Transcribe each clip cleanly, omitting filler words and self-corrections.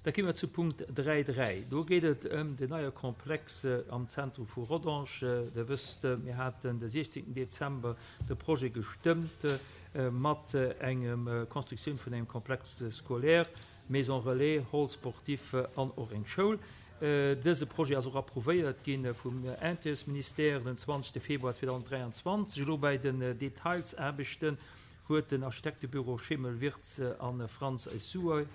Da gi mer zu Punkt 3, 3. Do geet et ëm den neie Komplex am Zentrum vu Rodange. Der wësst, mir haten de 16 Dezember de Projet gestëmmt mat engem Constructioun vun engem Complexe scolaire, Maison relais, Hall sportif an och eng Schoul. Dëse Projet ass och approuvéiert gi vum Intérieurministère den 20 Februar 2023. Elo bäi den Detailsaarbechten huet den Architektebüro Schemel Wirtz a Franz Suoy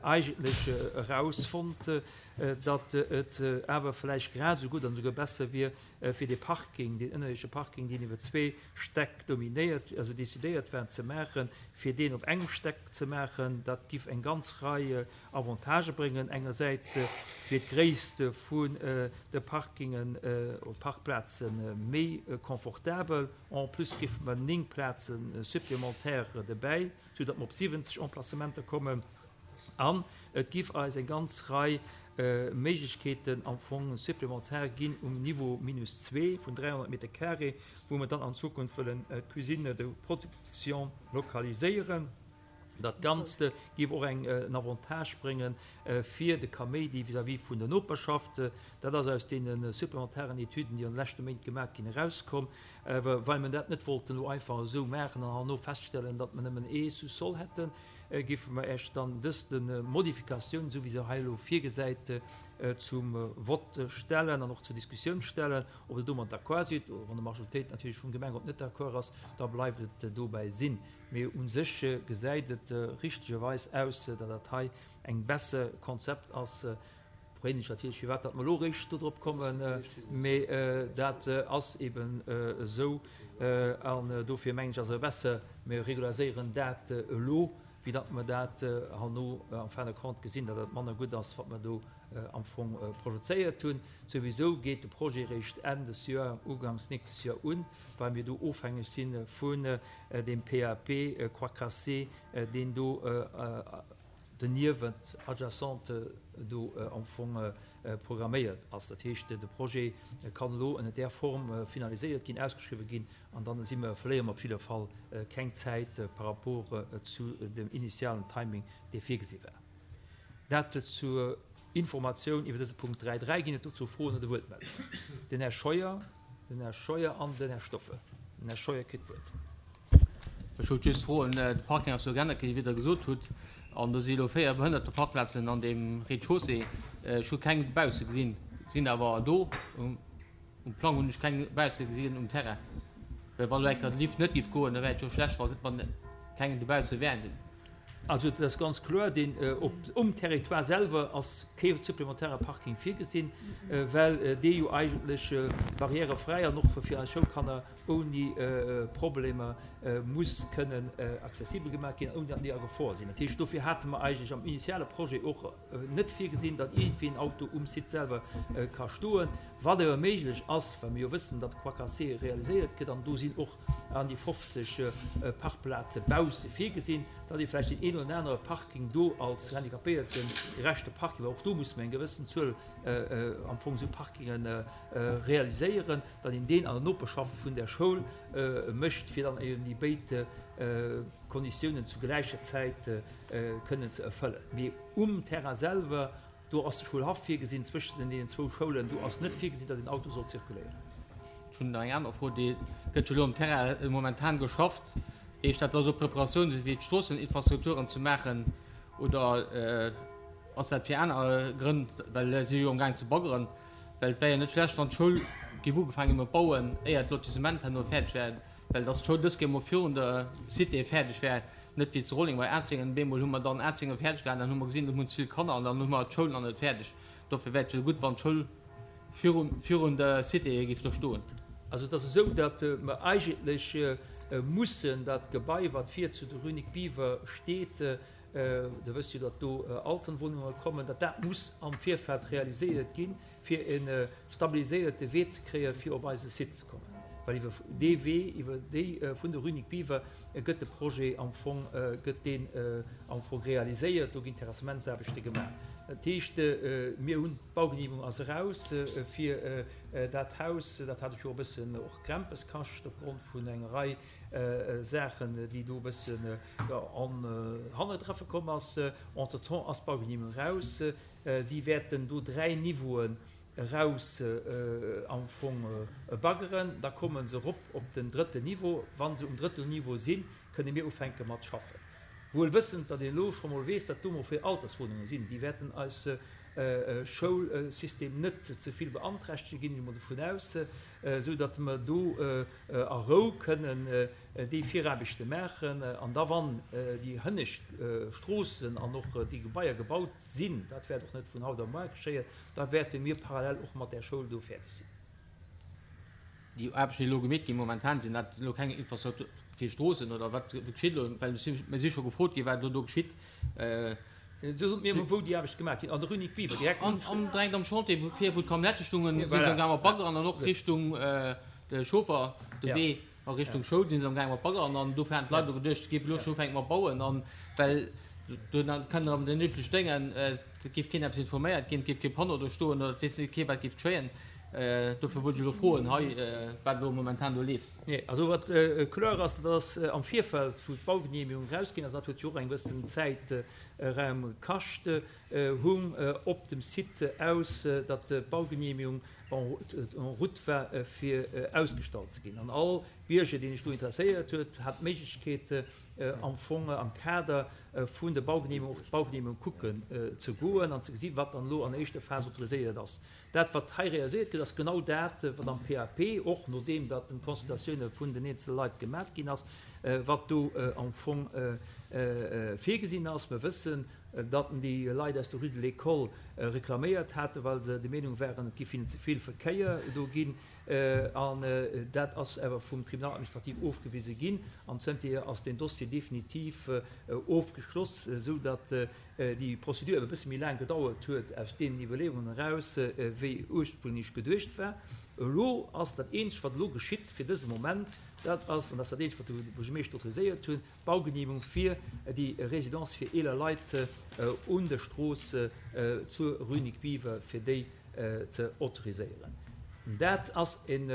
eigentlech erausfonnt, datt et awer vläicht grad esou gutt an esouguer besser wier, fir dee Parking, deen ënnerierdesche Parking, deen iwwer zwee Stäck dominéiert, also decidéiert war ze maachen, fir deen op engem Stäck ze maachen. Dat giff eng ganz Rei Avantagë bréngen. Engersäits wier d'Gréisst vun de Parkingen oder Parkplaze méi confortabel. En plus géife mer 9 Plaze supplémentaires dobäi, sou datt mer op 70 Emplacementer kommen. An et giff eis eng ganz Rei Méiglechkeeten am Fong supplémentaire ginn um Niveau minus zwee vun 300 Meter carré, wou mer dann an Zukunft wëllen d'Cuisine de production lokaliséieren. Dat Ganzt géif och eng en Avantage brénge fir de Kaméidi vis-à-vis vun der Noperschaft. Dat ass aus deene supplementaren Etüden, déi an de leschte Méint gemaach ginn, erauskomm. Awer well mer dat net wollten elo einfach esou maachen an herno feststellen, datt mer nëmmen ee Sous-sol hätten, géife mer Iech dann dës Modifikatioun, esou wéi se hei elo virgesäit, zum Vott stellen an och zur Diskussioun stellen, ob Der domat d'accord sidd. Oder wann d'Majoritéit natierlech vum Gemengerot net d'accord ass, da bleift et dobäi sinn. Mee u sech gesäit et richtegerweis aus, datt dat hei eng besser Konzept ass. Freeën ech natierlech, firwat datt mer elo eréischt dodrop kommen, mee dat ass eben esou. An dofir mengen ech, ass et besser, mir regulariséieren dat elo, wéi datt mer dat herno en fin de compte gesinn, datt dat manner gutt ass, wat mer do am Fong projezéiert hunn. Souwisou geet de Projet eréischt Enn des Joer, uganks nächstes Joer un, well mir do ofhängeg si vun deem PAP Croix Cassée, deen do doniewent, adjacent do am Fong programméiert ass. Dat heescht, de Projet kann elo ënner där Form finaliséiert ginn, ausgeschriwwen ginn an dann si mer, verléiere mer op jidder Fall keng Zäit par rapport zu dem initialen Timing, dee virgesi war. Dat zur Informatioun iwwer dëse Punkt 3. 3. Ginn et dozou Froen oder Wuertmeldungen? Den Här Scheuer, den Här Scheuer an den Här Stoffel. Den Här Scheuer kritt d'Wuert. Ech wollt just froen, de Parking ass jo geännert ginn, wéi Der gesot hutt, an do si elo 4 Behënnerteparkplazen an deem Rez-de-chaussée. Ech hu keng dobausse gesinn, sinn awer do. Um Plang hunn ech keng dobausse gesinn um Terrain. Well wa elo eng Kéier de Lift net géif goen, da wär et jo schlecht, wa keng dobausse wären. Also et ass ganz kloer, deen op um Territoire selwer ass kee supplementäre Parking virgesinn, well dee jo eigentlech barrièrefräi an och fir eis Schoulkanner ouni Problemer muss kënnen accessibel gemaach ginn, ouni datt déi a Gefor sinn. Dat heescht, dofir hate mer eigentlech am initiale Projet och net virgesinn, datt iergendwéi en Auto um Site selwer ka stoen. Wat awer méiglech ass, well mir jo wëssen, datt Croix Cassée realiséiert gëtt an do sinn och an déi 50 Parkplaze bausse virgesinn, datt ee vläicht deen een oder anere Parking do als handicapéiertegerechte Parking, well och do musse mer eng gewëssen Zuel am Fong esou Parkinge realiséieren, datt een deen an der Noperschaft vun der Schoul mécht, fir dann eben déi béid Konditiounen zu gläicher Zäit kënnen ze erfëllen. Mee um Terrain selwer Do ass de Schoulhaff virgesinn, zwëschen deenen zwou Schoulen. Do ass net virgesinn, datt een Auto soll zirkuléieren. Ech hunn nach eng aner Fro. Déi gëtt jo elo um Terrain momentan geschafft. Heescht dat, dass och Preparatioune si fir d'Stroosseninfrastrukturen ze maachen oder ass dat fir aner Grënn, well si jo amgaang ze baggeren? Well et wär jo net schlecht, wann d'Schoul géif ugefaange gi mat bauen, éier d'Lotissement herno fäerdeg wär, well dass d'Schoul dës Kéier emol virun der Cité fäerdeg wär. Net wéi zu Rolleng bei Atzéngen, bemol hu mer dann Atzéngen fäerdeg gehat, dann hu mer gesinn, do hunn ze vill Kanner an dann hu mer d'Schoul nach net fäerdeg. Dofir wär et jo gutt, wann d'Schoul virun, virun der Cité géif do stoen. Also et ass esou, datt mer eigentlech mussen dat Gebai, wat vir zu der Rue Nic Biever steet, Der wësst jo, datt do Altenwohnunge kommen, datt dat muss am Virfeld realiséiert ginn, fir e stabiliséierte Wee ze kréien, fir op eise Site ze kommen. Well iwwer dee Wee, iwwer déi vun der Rue Nic Biver gëtt de Projet am Fong, gëtt deen am Fong realiséiert, do ginn d'Terrassementsaarbechte gemaach. Dat heescht, mir hunn, d'Baugenehmegung ass eraus fir dat Haus, dat hat ech jo e bëssen och Krempes kascht opgrond vun enger Rei Saachen, déi do e bëssen an Hannertreffe komm ass. Entretemps ass d'Baugenehmegung eraus. Si wäerten do 3 Niveauen eraus am Fong baggeren, da komme se erop op den drëtten Niveau. Wa se um drëtten Niveau sinn, kënne mir ufänke mat schaffen. Wuel wëssend, datt een elo scho mol weess, datt do mol vill Alterswunnunge sinn, déi wäerten eis Schoulsystem net ze vill beanträchtegen, ginn ech emol dovun aus, esou datt mer do a Rou kënnen déi Viraarbechte maachen. An da wann déi hënnescht Stroossen an och déi Gebaier gebaut sinn, dat wäert och net vun haut op muar geschéien, Da wäerte mir parallel och mat där Schoul do fäerdeg sinn. Déi Aarbechten, déi elo gemeet ginn, momentan sinn dat elo keng Infrastruktur fir Stroossen oder wat geschitt elo? Well mir si scho gefrot ginn, wat elo do geschitt. Sot mir emol, wou déi Aarbechte gemaach ginn. An der Rue Nic Biver, direkt um. An direkt am Chantier, wou vir, wou d'Camionnette stungen, si se amgaang mat baggeren an och Richtung de Chauffer, de Wee A Richtung Schoul si se am gaange mat baggeren an dofir haten d'Leit elo geduecht, et géif elo scho ufänke mat bauen an well do kënnt erëm den übleche Déngen, et géif keen eppes informéiert ginn, et géif kee Panneau do stoen oder et weess kee wat géif geschéien. Dofir wollt ech elo froen hei, wat elo momentan do leeft. Nee, also wat kloer ass, dat ass am Virfeld, wou d'Baugenehmegung erausginn ass, dat huet jo och eng gewëssen Zäitraum kascht, hung op dem Site aus, datt d'Baugenehmegung en route war fir ausgestallt ze ginn. An all Bierger, deen sech do interesséiert huet, hat d'Méiglechkeet am Fong am Kader vun der Baugenehmegung och d'Baugenehmegung kucken ze goen an ze gesinn, wat dann elo an éischter Phas autoriséiert ass. Dat, wat hei realiséiert gëtt, ass genau dat, wat am PAP, och nodeem datt d'Consultatioune vun den eenzele Leit gemat ginn ass, wat do am Fong virgesinn ass. Mir wëssen, datt déi Leit aus der Rue de l'École reklaméiert haten, well se der Meenung waren, et géif hinnen ze vill Verkéier do ginn. An dat ass awer vum Tribunal administratif ofgewise ginn. An zënterhier ass deen Dossier definitiv ofgeschloss, esou datt déi Prozedur awer e bësse méi laang gedauert huet aus deenen Iwwerleeungen eraus, wéi ursprünglech geduecht war. Elo ass dat Eenzegt, wat elo geschitt fir dëse Moment, dat ass, an dat ass dat Eenzegt, wat de Buergermeeschter autoriséiert hunn, D'Baugenehmegung fir déi Résidence fir eeler Leit un der Strooss zur Rue Nic Biver, fir déi ze autoriséieren. Dat ass eng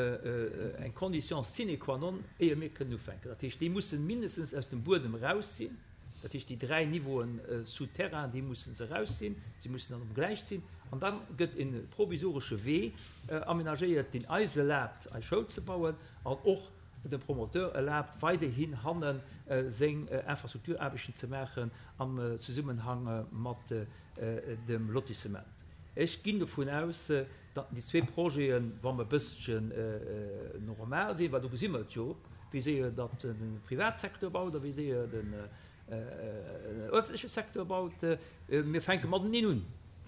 Condition sine qua non, éier mir kënnen ufänken. Dat heescht, déi mussen mindestens aus dem Buedem eraus sinn. Dat heescht, déi 3 Niveauen souterrain, déi mussen se eraus sinn. Si mussen dann ugläicht sinn. An da gëtt e provisoresche Wee amenagéiert, deen eis erlaabt, eis Schoul ze bauen an och dem Promoteur erlaabt, weiderhin hanne seng Infrastrukturaarbechten ze maachen am Zesummenhang mat dem Lotissement. Ech ginn dovun aus, datt déi zwee Projeten, wa mer e bësselchen normal sinn, well do gesi mer et jo, wéi séier datt de Privatsecteur baut a wéi séier den öffentleche Secteur baut, mir fänke mateneen un.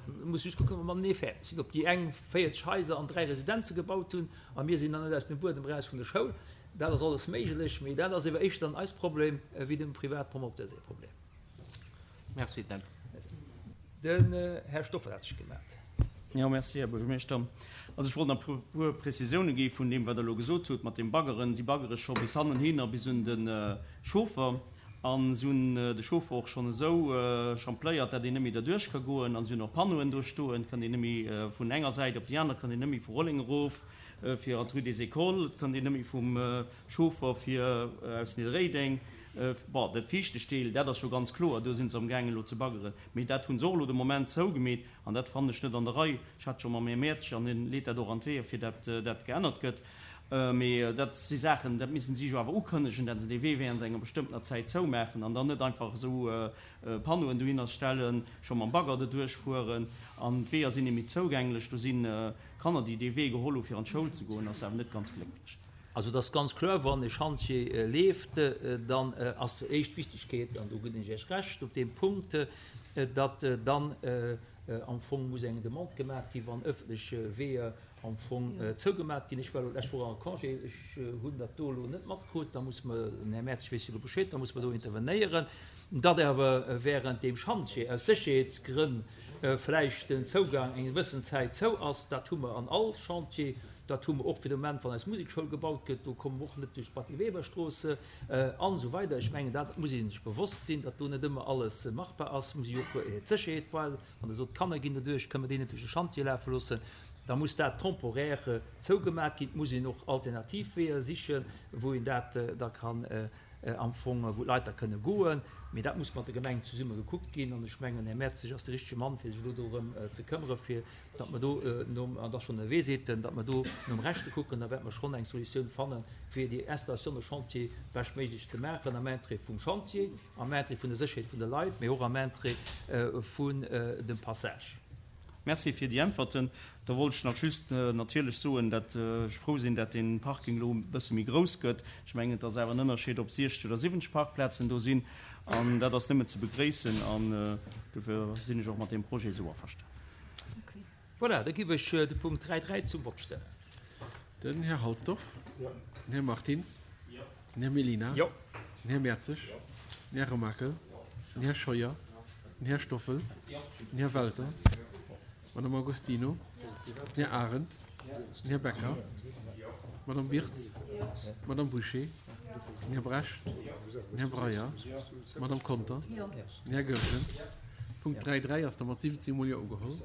Mir musse just kucken, ob mer matenee fäerdeg sinn, ob déi eng 40 Haiser an 3 Residenze gebaut hunn a mir sinn nach net aus dem Buedem eraus vun der Schoul. Dat ass alles méiglech, mee dat ass ewer éischter dann eist Problem wéi dem Privatpromoteur säi Problem. Merci, Dan. Den Här Stoffel hat sech gemellt. Jo, merci, Här Buergermeeschter. Also ech wollt nach e puer Prezisiounen gi vun deem, wat Der elo gesot hutt mat deem Baggeren. Si baggere scho bis hannenhin a bis un de Chauffer. A si hunn de Chauffer och schonn esou champléiert, dat een net méi derduerch ka goen. A si hunn och Panneauen do stoen, et kënnt een net méi vun enger Säit op déi aner, et kënnt een net méi vu Rolleng erof fir an d'Rue des Écoles, et kënnt een net méi vum Chauffer fir aus Nidderréideng. Bon, dat viischtegt Deel, dat ass jo ganz kloer, do si se amgaangen elo ze baggeren. Mee dat hu se och elo de Moment zougemeet an dat fannen ech net an der Rei. Ech hat scho mam Här Mertsch, an hien leet dat och an d'Weeër, fir dat dat geännert gëtt. Mee dat si Saachen, dat missen si jo awer ukënnegen, dat se dee Wee während enger bestëmmtener Zäit zoumaachen an dann net einfach esou Panneauen dohinner stellen, scho mam Bagger doduerch fueren an d'Weeër sinn net méi zougänglech. Do si Kanner, déi dee Wee geholl hu fir an d'Schoul ze goen, ass awer net ganz glécklech. Also et ass ganz kloer, wann e Schantjee leeft, dann ass éischt Wichtigkeet, an do ginn ech Iech Recht op deem Punkt, datt dann am Fong muss eng Demande gemaach ginn, wann ëffentlech Weeër am Fong zougemat ginn. Ech war elo d'lescht Woch am Congé, ech hunn dat do elo net matkrut, da muss mer, den Här Mertz weess jo elo Bescheed, da muss mer do intervenéieren, datt awer während deem Schantjee aus Sécherheetsgrënn vläicht den Zougang eng gewëssen Zäit zou ass, dat hu mer an all Chantier. Dat hu mer och fir de Moment, wann eis Musekschoul gebaut gëtt, do komme mer och net duerch d'Batty Weber-Strooss an esou weider. Ech mengen, dat muss ee sech bewosst sinn, datt do net ëmmer alles machbar ass. Muss ee jo och d'Sécherheet wahren. Wann Der sot, d'Kanner ginn doduerch, kënnen mer déi net duerch de Schantje lafe loossen, da muss dat temporaire zougemat ginn. Et muss een och alternativ Weeër sichen, wou een dat da kann am Fong, wou d'Leit da kënne goen. Mee dat muss mat der Gemeng zesumme gekuckt ginn. An ech mengen, Här Mertzig ass de richtege Mann, fir sech elo dorëm ze këmmere, fir datt mer do nom, an et ass schonn ënnerwee, seet en, datt mer do nom Rechte kucken. Da wäerte mer schonn eng Solutioun fannen, fir déi Installation de chantier beschtméiglech ze maachen, am Interêt vum Chantier, am Interêt vun der Sécherheet vun de Leit, mee och am Interêt vun dem Passage. Merci fir déi Äntwerten. Da wollt ech nach just natierlech soen, dat ech frou sinn, dat dee Parking elo e bësse méi grouss gëtt. Ech mengen, et ass awer en Ënnerscheed, ob 60 oder 70 Parkplazen do sinn. An dat ass nëmmen ze begréissen. An dofir sinn ech och mat deem Projet esou averstanen. Voilà, da giff ech de Punkt 3, 3 zum Vott stellen. Den Här Halsdorf. Den Här Martins. Den Här Mellina. Den Här Mertzig. Den Här Remakel. Den Här Scheuer. Den Här Stoffel. Den Här Welter. D'Madame Agostino. Den Här Arendt. Den Här Becker. D'Madame Wirtz. D'Madame Bouché. Den Här Brecht. Den Här Breyer. D'Madame Conter. Den Här Goergen. Punkt 3, 3 ass da mat 17 mol Jo ugeholl.